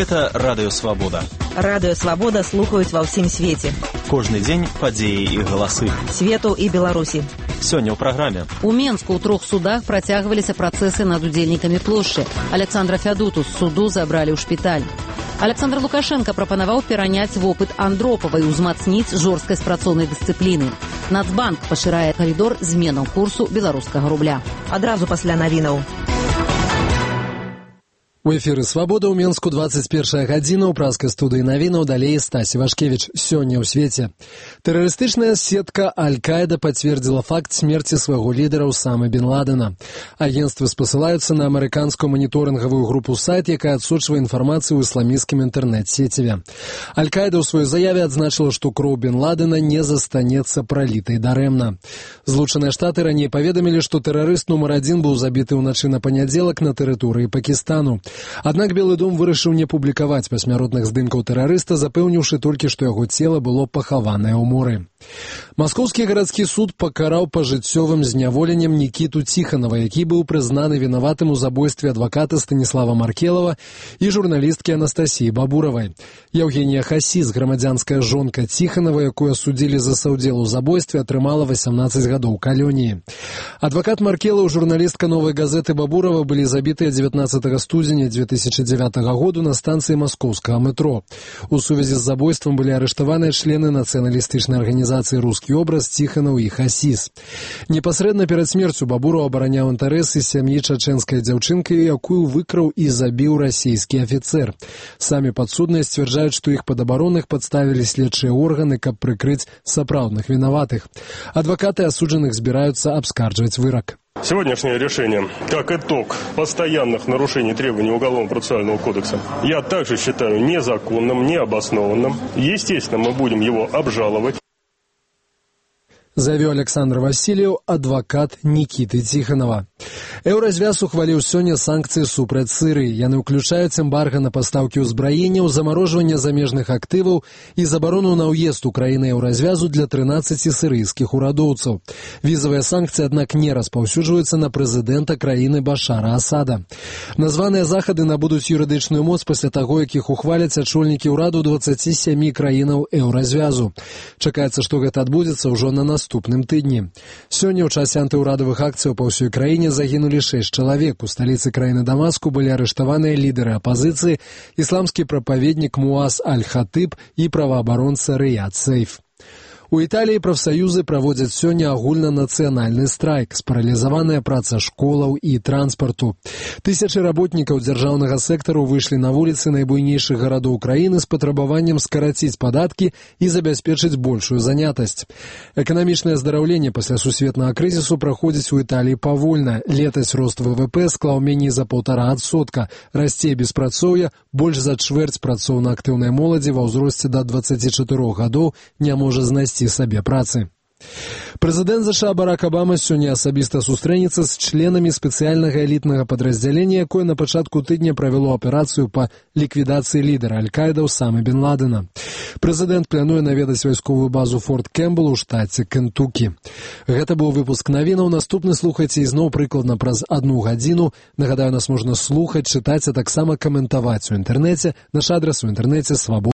Гэта Радыё Свабода. Радыё Свабода слухаюць ва ўсім свеце. Кожны дзень падзеі і галасы. Свету і Беларусі. Сёння ў праграме. У Менску ў 3 судах працягваліся працэсы над удзельнікамі плошчы. Александра Фядуту з суду забралі ў шпіталь. Александр Лукашенко прапанаваў пераняць вопыт Андропава і ўзмацніць жорсткасць працоўнай дысцыпліны. Нацбанк пашырае карыдор зменаў курсу беларускага рубля. Адразу пасля навінаў. У эфіры «Свабода» ў Менску 21 гадзіна ў праскай студыі навінаў, далей Стась Івашкевіч. Сёння ў свеце. Тэрарыстычная сетка Аль-Каіда пацвердзіла факт смерці свайго лідара Усамы бен Ладена. Агенцтвы спасылаюцца на амерыканскую маніторынгавую групу сайт, якая адсочвае інфармацыю ў ісламісцкім інтэрнэт-сеціве. Аль-Каіда ў сваёй заяве адзначыла, што кроў бен Ладена не застанецца пралітай дарэмна. Злучаныя Штаты раней паведамілі, што тэрарыст нумар 1 быў забіты ўначы на панядзелак на тэрыторыі Пакістану. Аднак Белы дом вырашыў не публікаваць пасмяротных здымкаў тэрарыста, запэўніўшы толькі, што яго цела было пахаванае ў моры. Маскоўскі гарадскі суд пакараў пажыццёвым зняволеннем Нікіту Ціханова, які быў прызнаны вінаватым у забойстве адваката Станіслава Маркелава і журналісткі Анастасіі Бабуравай. Яўгенія Хасіс, грамадзянская жонка Ціханова, якую асудзілі за саўдзел у забойстве, атрымала 18 гадоў калоніі. Адвакат Маркелаў, журналістка «Новай газеты» Бабурава былі забітыя 19 студзеня 2009 году на станцыі маскоўскага метро. У сувязі з забойствам былі арыштаваныя члены нацыяналістычнай арганізацыі «Рускі образ» Ціханаў і Хасіс. Непасрэдна перад смерцю Бабураў абараняў інтарэсы сям'і чачэнскай дзяўчынкі, якую выкраў і забіў расійскі афіцэр. Самі падсудныя сцвярджаюць, што іх пад абаронах падставілі следчыя органы, каб прыкрыць сапраўдных вінаватых. Адвакаты асуджаных збіраюцца абскарджваць вырак. Сегодняшнее решение, как итог постоянных нарушений требований Уголовно-процессуального кодекса, я также считаю незаконным, необоснованным. Естественно, мы будем его обжаловать. Заявіў Александр Васильев, адвакат Нікіты Ціханова. Еўразвяз ухваліў сёння санкцыі супраць Сырыі. Яны ўключаюць эмбарга на пастаўкі ўзбраенняў, замарожванне замежных актываў і забарону на ўезд у краіны Еўразвязу для 13 сырыйскіх урадоўцаў. Візавыя санкцыі, аднак, не распаўсюджваюцца на прэзідэнта краіны Башара Асада. Названыя захады набудуць юрыдычную моц пасля таго, як іх ухваляць ачольнікі ўраду 27 краінаў Еўразвязу. Чакаецца, што гэта адбудзецца ўжо на наступным тыдні. Сёння ў часе антыўрадавых акцыяў па ўсёй краіне загінулі 6 чалавек. У сталіцы краіны Дамаску былі арыштаваныя лідары апазіцыі, ісламскі прапаведнік Муаз Аль-Хатыб і праваабаронца Рыяд Сейф. У Італіі прафсаюзы праводзяць сёння агульнанацыянальны страйк, спаралізаваная праца школаў і транспарту. Тысячы работнікаў дзяржаўнага сектару выйшлі на вуліцы найбуйнейшых гарадоў краіны з патрабаваннем скараціць падаткі і забяспечыць большую занятасць. Эканамічнае аздараўленне пасля сусветнага крызісу праходзіць у Італіі павольна. Летась рост ВВП склаў меней за 1,5%. Расце беспрацоўе, больш за чвэрць працоўна-актыўнай моладзі ва ўзросце да 24 гадоў не можа знайсці сабе працы. Прэзідэнт ЗША Барак Абама сёння асабіста сустрэнецца з членамі спецыяльнага элітнага падраздзялення, якое на пачатку тыдня правяло аперацыю па ліквідацыі лідара Аль-Каіда Усамы бен Ладена. Прэзідэнт плануе наведаць вайсковую базу Форт Кэмпбелл у штаце Кентукі. Гэта быў выпуск навінаў. Наступны слухайце ізноў прыкладна праз 1 гадзіну. Нагадаю, нас можна слухаць, чытаць, а таксама каментаваць у інтэрнэце. Наш адрас у інтэрнэце свабода.